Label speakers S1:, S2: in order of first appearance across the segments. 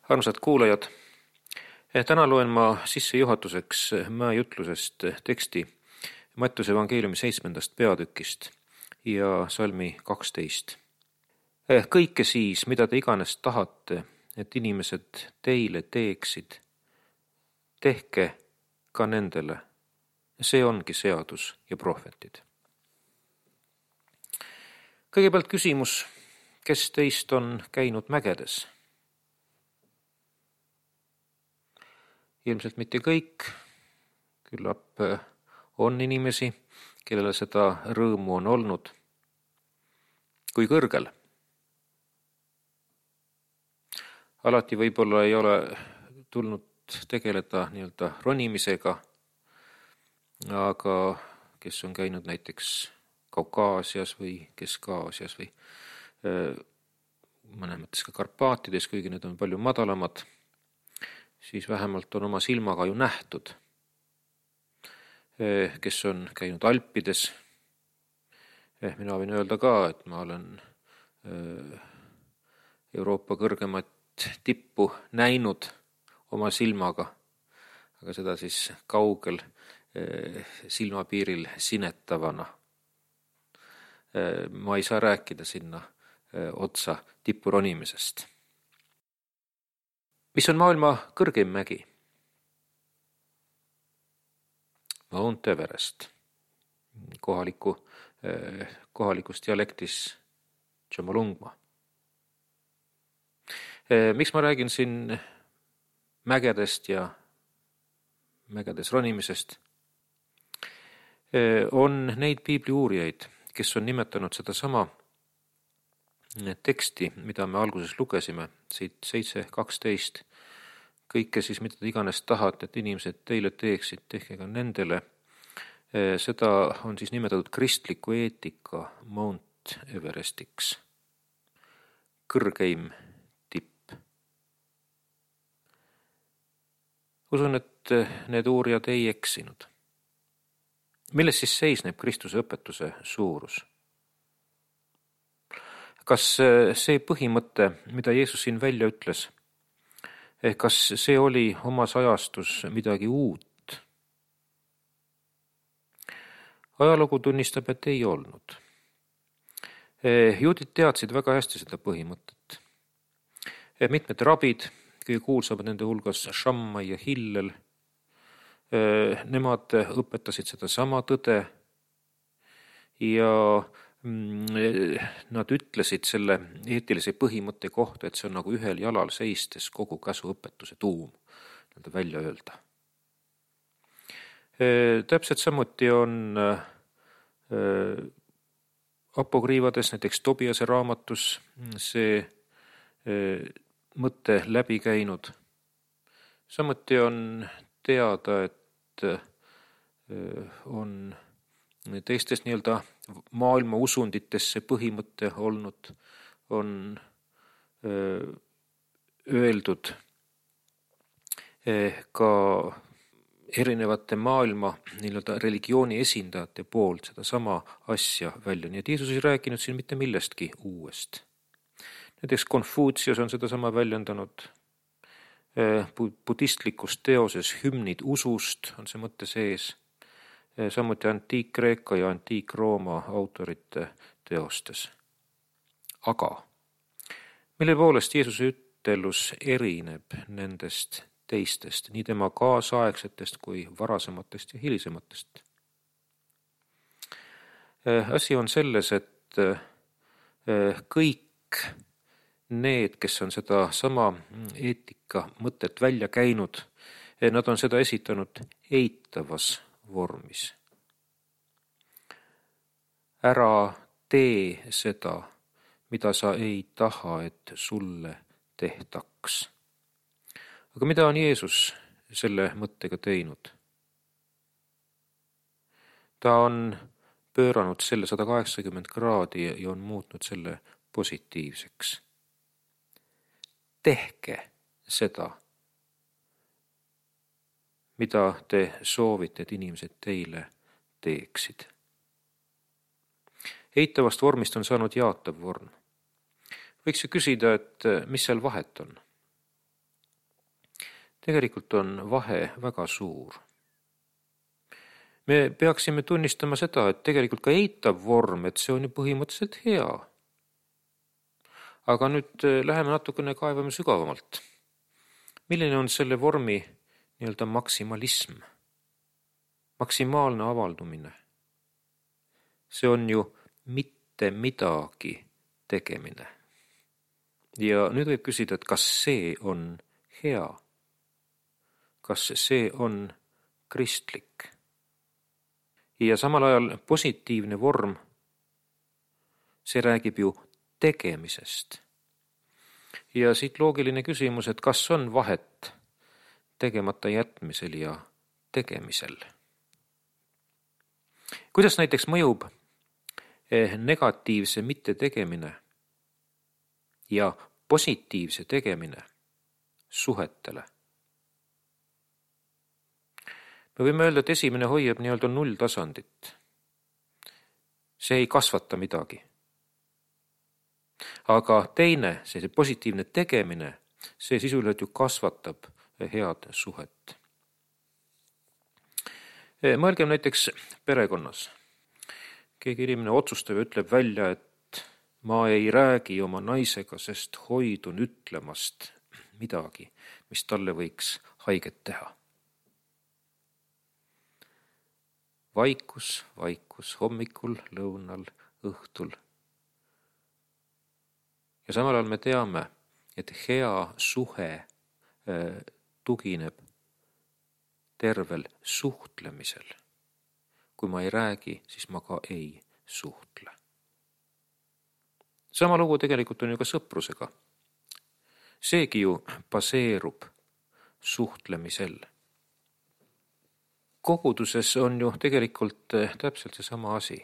S1: Armsad kuulajad, täna loen ma sissejuhatuseks mäejutlusest teksti Mattuse evangeeliumi 7. peatükist ja salmi 12. Kõike siis, mida te iganes tahate, et inimesed teile teeksid, tehke ka nendele. See ongi seadus ja prohvetid. Kõigepealt küsimus, kes teist on käinud mägedes? Ilmselt mitte kõik, küllap on inimesi, kellele seda rõõmu on olnud. Kui kõrgel? Alati võib-olla ei ole tulnud tegeleda nii-öelda ronimisega, aga kes on käinud näiteks Kaukaasias või Kesk-Aasias või mõnes ka Karpaatides, kuigi need on palju madalamad, siis vähemalt on oma silmaga ju nähtud. Kes on käinud Alpides, mina võin öelda ka, et ma olen Euroopa kõrgemat tippu näinud oma silmaga, aga seda siis kaugel silmapiiril sinetavana. Ma ei saa rääkida sinna otsa tippu ronimisest. Mis on maailma kõrgeim mägi? Mount Everest. Kohalikus dialektis Tšomolungma. Miks ma räägin siin mägedest ja mägedes ronimisest? On neid piibli uurijaid, kes on nimetanud seda sama teksti, mida me alguses lugesime, siit 7.12. Kõike siis, mida te iganes tahate, et inimesed teile teeksid, tehke ka nendele. Seda on siis nimetatud kristliku eetika Mount Everestiks. Kõrgeim tipp. Usun, et need uurijad ei eksinud. Milles siis seisneb Kristuse õpetuse suurus? Kas see põhimõte, mida Jeesus siin välja ütles, kas see oli omas ajastus midagi uut? Ajalugu tunnistab, et ei olnud. Juudid teadsid väga hästi seda põhimõtet. Mitmed rabid, kõige kuulsamad nende hulgas Shammai ja Hillel, nemad õpetasid seda sama tõde ja nad ütlesid selle eetilise põhimõtte kohta, et see on nagu ühel jalal seistes kogu käsuõpetuse tuum välja öelda. Täpselt samuti on apokriivades, näiteks Tobiase raamatus see mõte läbi käinud. Samuti on teada, et on teistes nii-öelda maailma usundites see põhimõte olnud, on öeldud ka erinevate maailma nii-öelda religiooni esindajate poolt seda sama asja välja. Nii et Jeesus ei rääkinud siin mitte millestki uuest. Näiteks Konfutsius on seda sama väljendanud. Budistlikus teoses hümnid usust on see mõte sees. Samuti Antiik-Kreeka ja Antiik-Rooma autorite teostes. Aga mille poolest Jeesuse ütelus erineb nendest teistest, nii tema kaasaegsetest kui varasematest ja hilisematest? Asi on selles, et kõik need, kes on seda sama eetika mõtet välja käinud, nad on seda esitanud eitavas vormis. Ära tee seda, mida sa ei taha, et sulle tehtaks. Aga mida on Jeesus selle mõttega teinud? Ta on pööranud selle 180 kraadi ja on muutnud selle positiivseks. Tehke seda, mida te soovite, et inimesed teile teeksid. Eitavast vormist on saanud jaatav vorm. Võiks ju küsida, et mis seal vahet on? tegelikult on vahe väga suur. Me peaksime tunnistama seda, et tegelikult ka eitav vorm, et see on ju põhimõtteliselt hea. Aga nüüd läheme natukene kaevame sügavamalt. Milline on selle vormi nii-öelda maksimalism? Maksimaalne avaldumine. See on ju mitte midagi tegemine. Ja nüüd võib küsida, et kas see on hea? Kas see on kristlik? Ja samal ajal positiivne vorm, see räägib ju tegemisest. Ja siit loogiline küsimus, et kas on vahet tegemata jätmisel ja tegemisel? Kuidas näiteks mõjub negatiivse mittetegemine ja positiivse tegemine suhetele? Me võime öelda, et esimene hoiab nii-öelda nulltasandit. See ei kasvata midagi. Aga teine, see positiivne tegemine, see sisuliselt ju kasvatab head suhet. Mõelgem näiteks perekonnas. Keegi inimene otsustab ja ütleb välja, et ma ei räägi oma naisega, sest hoidun ütlemast midagi, mis talle võiks haiget teha. Vaikus hommikul, lõunal, õhtul. Ja samal ajal me teame, et hea suhe tugineb tervel suhtlemisel. Kui ma ei räägi, siis ma ka ei suhtle. Sama lugu tegelikult on ju ka sõprusega. Seegi ju baseerub suhtlemisel. Koguduses on ju tegelikult täpselt seesama asi.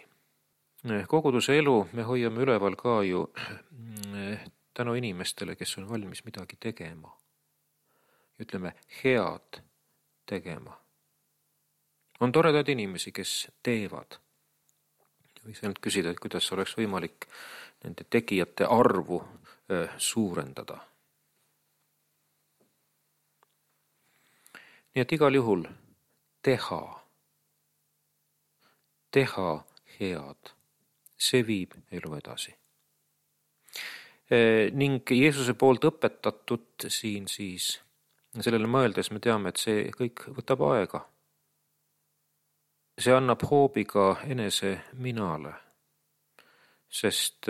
S1: Koguduse elu me hoiame üleval ka ju tänu inimestele, kes on valmis midagi tegema. Ütleme, head tegema. On toredad inimesi, kes teevad. Võiks ainult küsida, et kuidas oleks võimalik nende tegijate arvu suurendada. Nii et igal juhul teha head, see viib elu edasi. Ning Jeesuse poolt õpetatud siin siis, sellele mõeldes me teame, et see kõik võtab aega. See annab hoobi ka enese minale, sest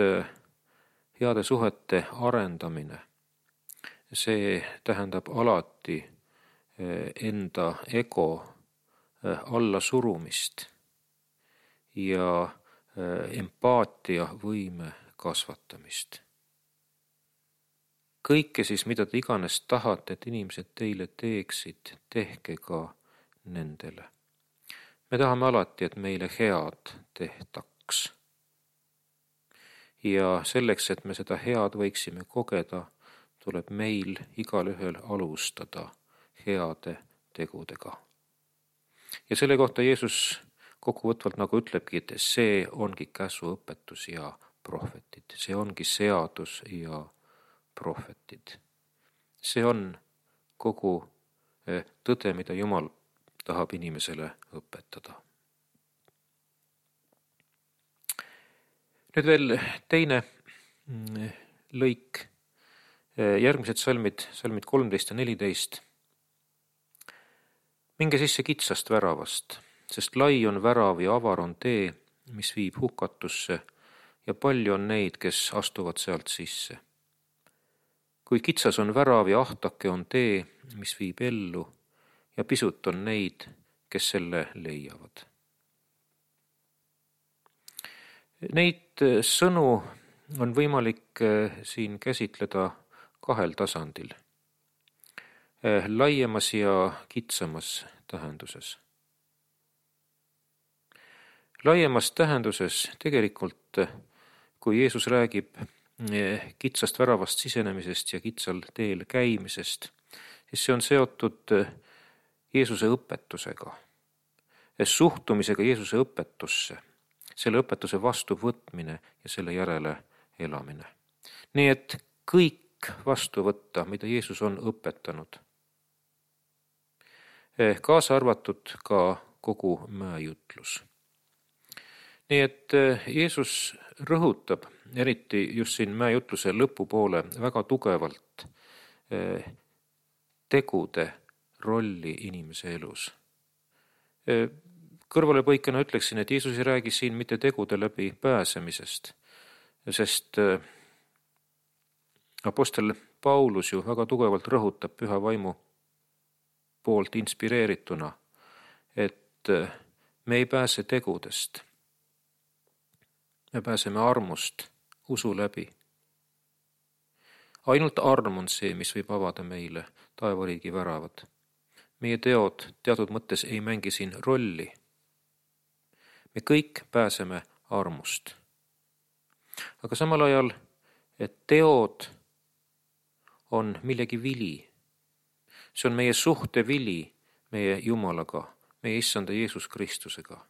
S1: heade suhete arendamine, see tähendab alati enda ego alla surumist ja empaatia võime kasvatamist. Kõike siis, mida te iganes tahate, et inimesed teile teeksid, tehke ka nendele. Me tahame alati, et meile head tehtaks. Ja selleks, et me seda head võiksime kogeda, tuleb meil igalühel alustada heade tegudega. Ja selle kohta Jeesus kokkuvõtvalt nagu ütlebki, et see ongi käsuõpetus ja prohvetid. See ongi seadus ja prohvetid. See on kogu tõde, mida Jumal tahab inimesele õpetada. Nüüd veel teine lõik, järgmised salmid 13 ja 14. Minge sisse kitsast väravast, sest lai on värav ja avar on tee, mis viib hukatusse ja palju on neid, kes astuvad sealt sisse. Kui kitsas on värav ja ahtake on tee, mis viib ellu ja pisut on neid, kes selle leiavad. Neid sõnu on võimalik siin käsitleda kahel tasandil. Laiemas ja kitsamas tähenduses. Laiemas tähenduses tegelikult, kui Jeesus räägib kitsast väravast sisenemisest ja kitsal teel käimisest, siis see on seotud Jeesuse õpetusega, suhtumisega Jeesuse õpetusse, selle õpetuse vastuvõtmine ja selle järele elamine. Nii et kõik vastu võtta, mida Jeesus on õpetanud. kaasa arvatud ka kogu mäejutlus. Nii et Jeesus rõhutab, eriti just siin mäejutluse lõpupoole, väga tugevalt tegude rolli inimese elus. Kõrvalepõikena ütleksin, et Jeesus ei räägi siin mitte tegude läbi pääsemisest, sest apostel Paulus ju väga tugevalt rõhutab Püha Vaimu poolt inspireerituna, et me ei pääse tegudest. Me pääseme armust usu läbi. Ainult arm on see, mis võib avada meile taevariigi väravad. Meie teod teatud mõttes ei mängi siin rolli. Me kõik pääseme armust. Aga samal ajal, et teod on millegi vili. See on meie suhte vili meie Jumalaga, meie Issanda Jeesus Kristusega.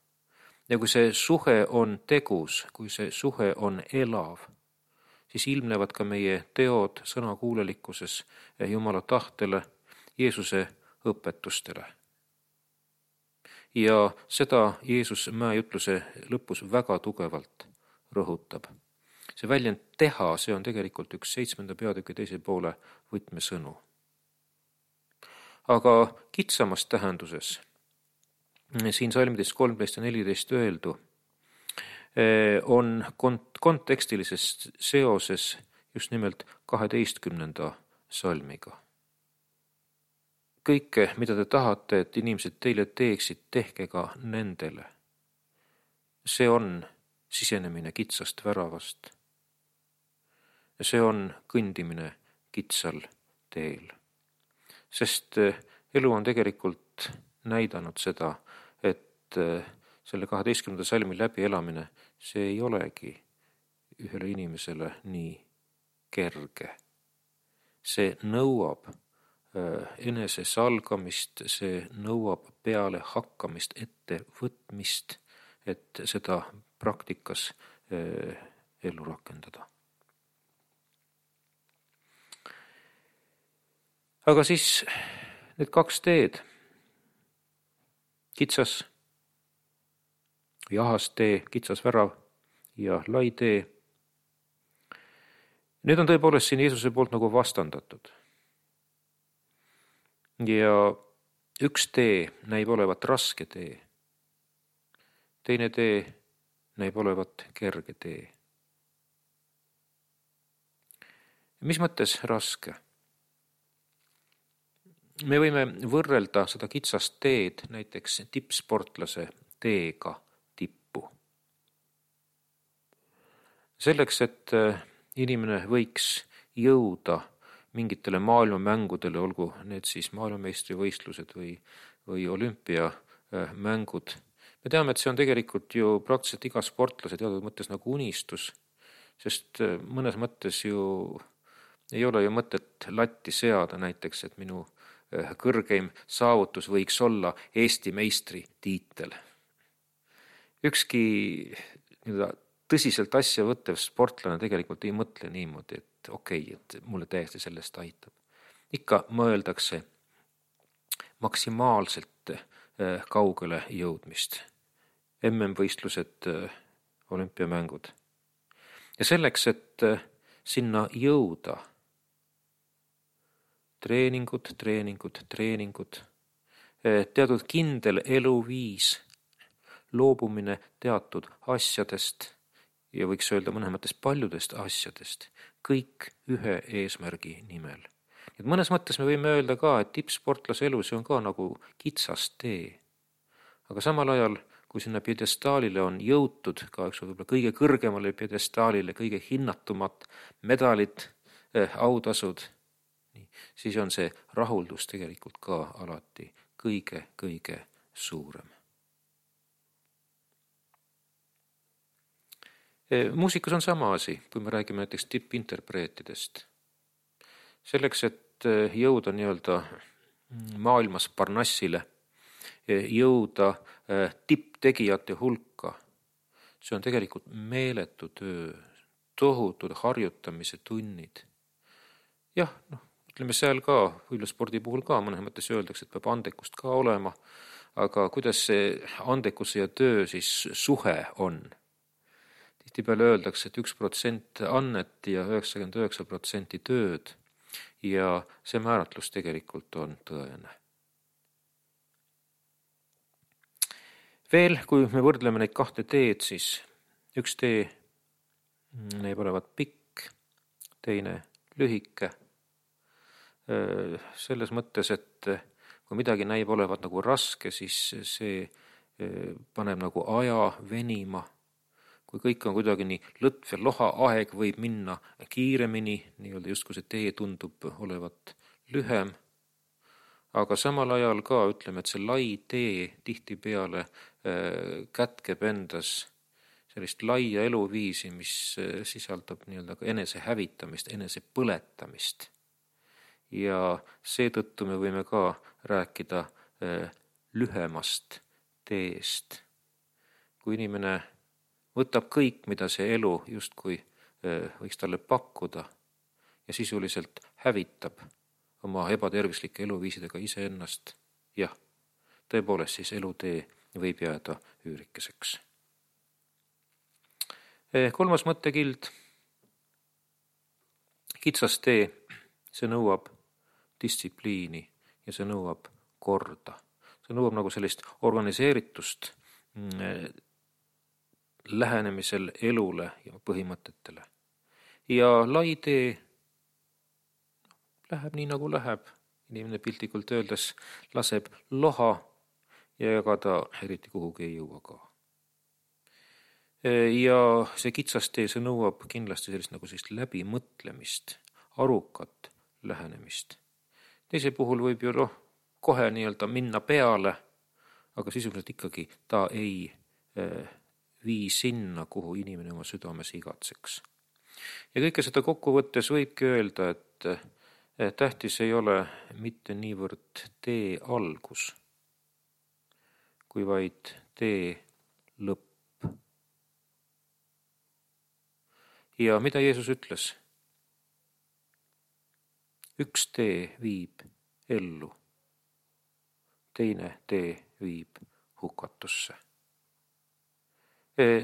S1: Ja kui see suhe on tegus, kui see suhe on elav, siis ilmnevad ka meie teod sõnakuulelikkuses Jumala tahtele, Jeesuse õpetustele. Ja seda Jeesus mäejutluse lõpus väga tugevalt rõhutab. See väljend teha, see on tegelikult üks 7. peatüki 2. poole võtmesõnu. Aga kitsamas tähenduses, siin salmides 13 ja 14 öeldu, on kontekstilises seoses just nimelt 12. salmiga. Kõike, mida te tahate, et inimesed teile teeksid, tehke ka nendele. See on sisenemine kitsast väravast. See on kõndimine kitsal teel. Sest elu on tegelikult näidanud seda, et selle 12. salmi läbi elamine, see ei olegi ühele inimesele nii kerge. See nõuab enese salgamist, see nõuab peale hakkamist, ette võtmist, et seda praktikas ellu rakendada. Aga siis need 2 teed, kitsas või ahas tee, kitsas värav ja lai tee, need on tõepoolest siin Jeesuse poolt nagu vastandatud. Ja üks tee näib olevat raske tee. Teine tee näib olevat kerge tee. Mis mõttes raske? Me võime võrrelda seda kitsast teed näiteks tippsportlase teega tippu. Selleks, et inimene võiks jõuda mingitele maailmamängudele, olgu need siis maailmameistrivõistlused või olümpiamängud. Me teame, et see on tegelikult ju praktiliselt iga sportlase teatud mõttes nagu unistus, sest mõnes mõttes ju ei ole ju mõtet latti seada näiteks, et minu kõrgeim saavutus võiks olla Eesti meistri tiitel. Ükski tõsiselt asja võttev sportlane tegelikult ei mõtle niimoodi, et et mulle täiesti sellest aitab. Ikka mõeldakse maksimaalselt kaugele jõudmist. MM-võistlused, olümpiamängud. Ja selleks, et sinna jõuda, treeningud, teatud kindel eluviis, loobumine teatud asjadest ja võiks öelda mõnes mõttes paljudest asjadest, kõik ühe eesmärgi nimel. Et mõnes mõttes me võime öelda ka, et tippsportlase elu see on ka nagu kitsas tee. Aga samal ajal, kui sinna pjedestaalile on jõutud, ka võib-olla kõige kõrgemale pjedestaalile, kõige hinnatumad medalid, autasud, siis on see rahuldus tegelikult ka alati kõige suurem. Muusikus on sama asi, kui me räägime näiteks tippinterpreetidest. Selleks, et jõuda nii-öelda maailmas Parnassile, jõuda tipptegijate hulka, see on tegelikult meeletu töö, tohutud harjutamise tunnid. Jah, ütleme seal ka, võidluspordi puhul ka mõnes mõttes öeldakse, et peab andekust ka olema, aga kuidas see andekuse ja töö siis suhe on? Tihtipeale öeldakse, et 1% annet ja 99% tööd ja see määratlus tegelikult on tõene. Veel, kui me võrdleme neid kahte teed, siis üks tee näib olevat pikk, teine lühike. Selles mõttes, et kui midagi näib olevat nagu raske, siis see paneb nagu aja venima. Kui kõik on kuidagi nii lõtv ja loha, aeg võib minna kiiremini, nii-öelda justkui see tee tundub olevat lühem. Aga samal ajal ka ütleme, et see lai tee tihtipeale kätkeb endas sellist laia eluviisi, mis sisaldab nii-öelda ka enese hävitamist, enese põletamist. Ja seetõttu me võime ka rääkida lühemast teest. Kui inimene võtab kõik, mida see elu justkui võiks talle pakkuda ja sisuliselt hävitab oma ebatervislike eluviisidega iseennast, jah, tõepoolest siis elutee võib jääda üürikeseks. Kolmas mõttekild, kitsas tee, see nõuab distsipliini ja see nõuab korda. See nõuab nagu sellist organiseeritust lähenemisel elule ja põhimõtetele. Ja lai tee läheb nii nagu läheb. Inimene piltlikult öeldes laseb loha ja ega ta eriti kuhugi ei jõua ka. Ja see kitsas tee, see nõuab kindlasti sellist läbimõtlemist, arukat lähenemist. Teise puhul võib ju kohe nii-öelda minna peale, aga sisuliselt ikkagi ta ei vii sinna, kuhu inimene oma südames igatseks. Ja kõike seda kokkuvõttes võibki öelda, et tähtis ei ole mitte niivõrd tee algus, kui vaid tee lõpp. Ja mida Jeesus ütles? Üks tee viib ellu, teine tee viib hukatusse.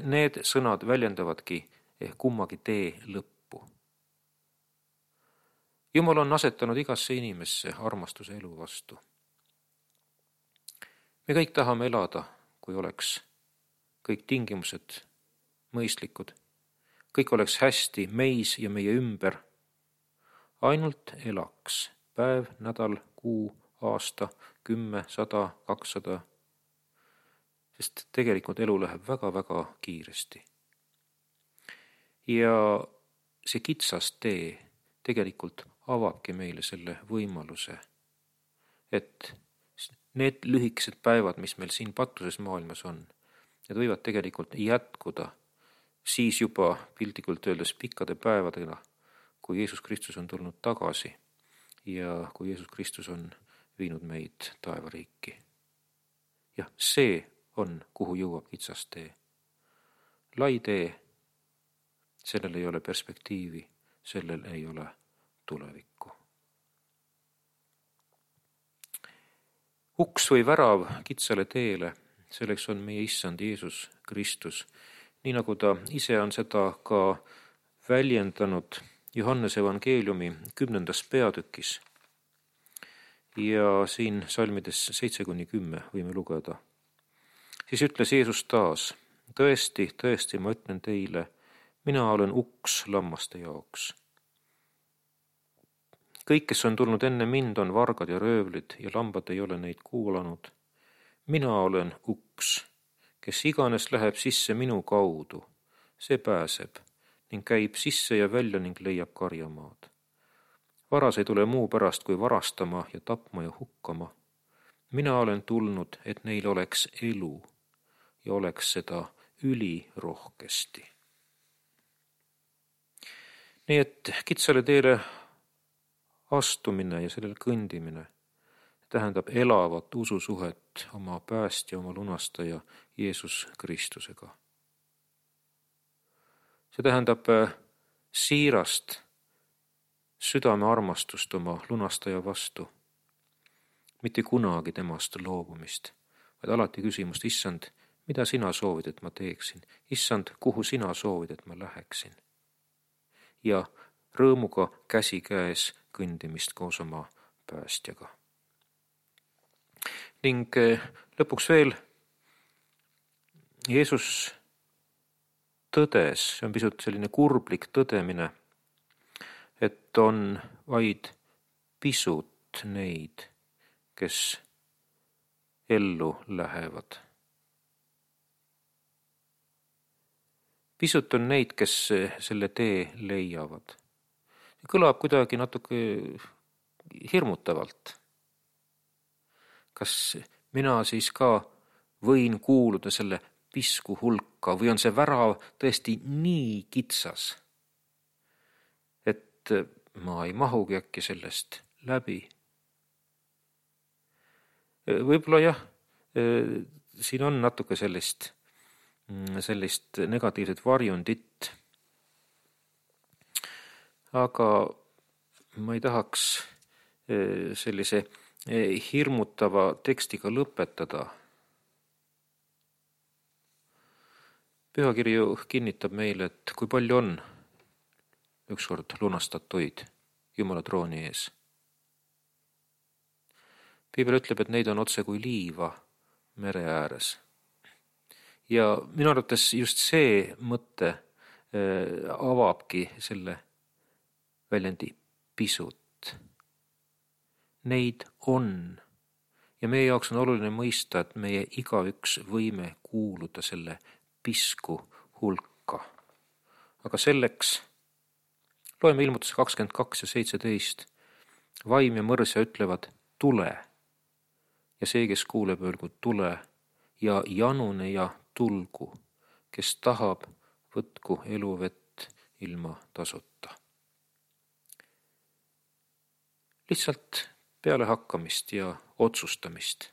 S1: Need sõnad väljendavadki kummagi tee lõppu. Jumal on asetanud igasse inimesse armastuse elu vastu. Me kõik tahame elada, kui oleks kõik tingimused mõistlikud, kõik oleks hästi meis ja meie ümber. Ainult elaks päev, nädal, kuu, aasta, 10, 100, 200, sest tegelikult elu läheb väga-väga kiiresti. Ja see kitsas tee tegelikult avabki meile selle võimaluse, et need lühikesed päevad, mis meil siin patuses maailmas on, need võivad tegelikult jätkuda siis juba piltlikult öeldes pikkade päevadega, kui Jeesus Kristus on tulnud tagasi ja kui Jeesus Kristus on viinud meid taevariiki. Jah, see on, kuhu jõuab kitsas tee. Lai tee, sellel ei ole perspektiivi, sellel ei ole tulevikku. Uks või värav kitsale teele, selleks on meie issand Jeesus Kristus, nii nagu ta ise on seda ka väljendanud Johannese evangeeliumi 10. peatükis. Ja siin salmides 7-10 võime lugeda. Siis ütles Jeesus taas, tõesti, tõesti, ma ütlen teile, mina olen uks lammaste jaoks. Kõik, kes on tulnud enne mind, on vargad ja röövlid ja lambad ei ole neid kuulanud. Mina olen uks, kes iganes läheb sisse minu kaudu, see pääseb ning käib sisse ja välja ning leiab karjamaad. Varas ei tule muu pärast kui varastama ja tapma ja hukkama. Mina olen tulnud, et neil oleks elu ja oleks seda ülirohkesti. Nii et kitsale teele astumine ja sellel kõndimine tähendab elavat ususuhet oma päästja, oma lunastaja Jeesus Kristusega. See tähendab siirast südame armastust oma lunastaja vastu, mitte kunagi temast loobumist, vaid alati küsimust, issand, mida sina soovid, et ma teeksin? Issand, kuhu sina soovid, et ma läheksin? Ja rõõmuga käsikäes kõndimist koos oma päästjaga. Ning lõpuks veel Jeesus tõdes, see on pisut selline kurblik tõdemine, et on vaid pisut neid, kes ellu lähevad. Pisut on neid, kes selle tee leiavad. Kõlab kuidagi natuke hirmutavalt. Kas mina siis ka võin kuuluda selle pisku hulka või on see värav tõesti nii kitsas, et ma ei mahugi äkki sellest läbi? Võib-olla jah, siin on natuke sellist negatiivset varjundit, aga ma ei tahaks sellise hirmutava tekstiga lõpetada. Pühakiri ju kinnitab meile, et kui palju on ükskord lunastatuid Jumala trooni ees. Piibel ütleb, et neid on otse kui liiva mere ääres. Ja minu arvates just see mõte avabki selle väljendi pisut. Neid on. Ja meie jaoks on oluline mõista, et meie igaüks võime kuuluda selle pisku hulka. Aga selleks loeme Ilmutuse 22 ja 17. Vaim ja mõrsja ütlevad, tule. Ja see, kes kuuleb, öelgu tule ja janune ja tulgu, kes tahab, võtku eluvett ilma tasuta. Lihtsalt pealehakkamist ja otsustamist.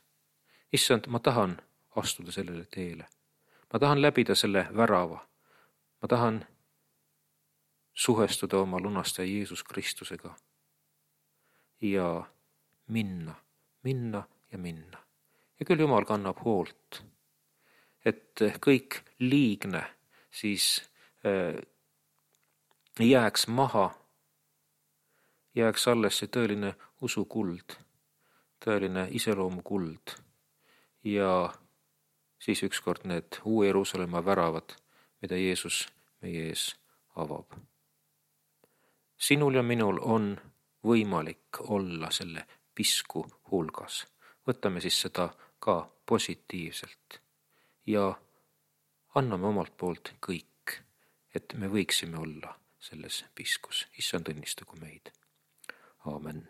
S1: Issand, ma tahan astuda sellele teele. Ma tahan läbida selle värava. Ma tahan suhestuda oma lunastaja Jeesus Kristusega ja minna. Ja küll Jumal kannab hoolt, et kõik liigne siis jääks maha, jääks alles see tõeline usukuld, tõeline iseloomukuld ja siis ükskord need Uue Jeruusalemma väravad, mida Jeesus meie ees avab. Sinul ja minul on võimalik olla selle pisku hulgas. Võtame siis seda ka positiivselt ja anname omalt poolt kõik, et me võiksime olla selles piskus. Issand õnnistagu meid. Aamen.